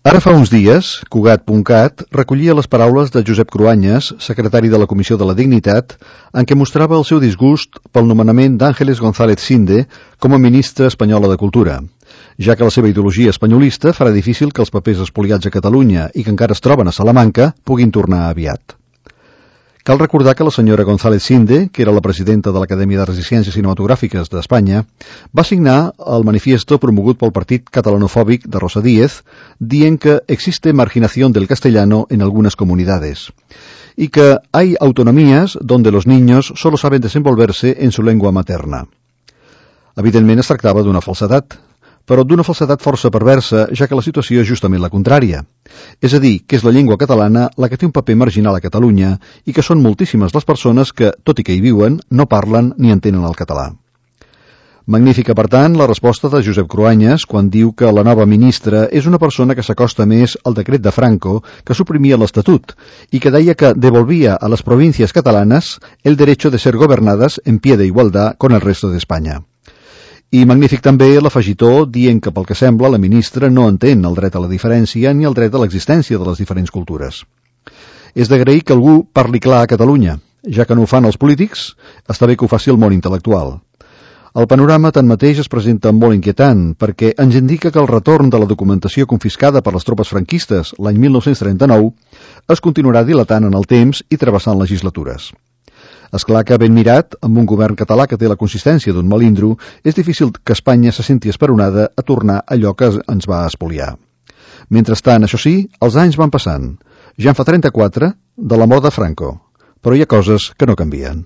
Ara fa uns dies, Cugat.cat recollia les paraules de Josep Cruanyes, secretari de la Comissió de la Dignitat, en què mostrava el seu disgust pel nomenament d'Ángeles González Sinde com a ministra espanyola de Cultura, ja que la seva ideologia espanyolista farà difícil que els papers espoliats a Catalunya i que encara es troben a Salamanca puguin tornar aviat. Cal recordar que la senyora González Sinde, que era la presidenta de l'Acadèmia de Arts i Ciències Cinematogràfiques d'Espanya, va signar el manifiesto promogut pel partit catalanofòbic de Rosa Díez, dient que existe marginación del castellano en algunas comunidades y que hay autonomías donde los niños solo saben desenvolverse en su lengua materna. Evidentment es tractava d'una falsedat, però d'una falsedat força perversa, ja que la situació és justament la contrària. És a dir, que és la llengua catalana la que té un paper marginal a Catalunya i que són moltíssimes les persones que, tot i que hi viuen, no parlen ni entenen el català. Magnífica, per tant, la resposta de Josep Cruanyes quan diu que la nova ministra és una persona que s'acosta més al decret de Franco que suprimia l'Estatut i que deia que devolvia a les províncies catalanes el derecho de ser gobernadas en pie de igualdad con el resto de España. I magnífic també l'afegitó dient que pel que sembla la ministra no entén el dret a la diferència ni el dret a l'existència de les diferents cultures. És d'agrair que algú parli clar a Catalunya, ja que no ho fan els polítics, està bé que ho faci el món intel·lectual. El panorama tanmateix es presenta molt inquietant perquè ens indica que el retorn de la documentació confiscada per les tropes franquistes l'any 1939 es continuarà dilatant en el temps i travessant legislatures. És clar que, ben mirat, amb un govern català que té la consistència d'un melindro, és difícil que Espanya se senti esperonada a tornar allò que ens va espoliar. Mentrestant, això sí, els anys van passant. Ja en fa 34 de la mort de Franco, però hi ha coses que no canvien.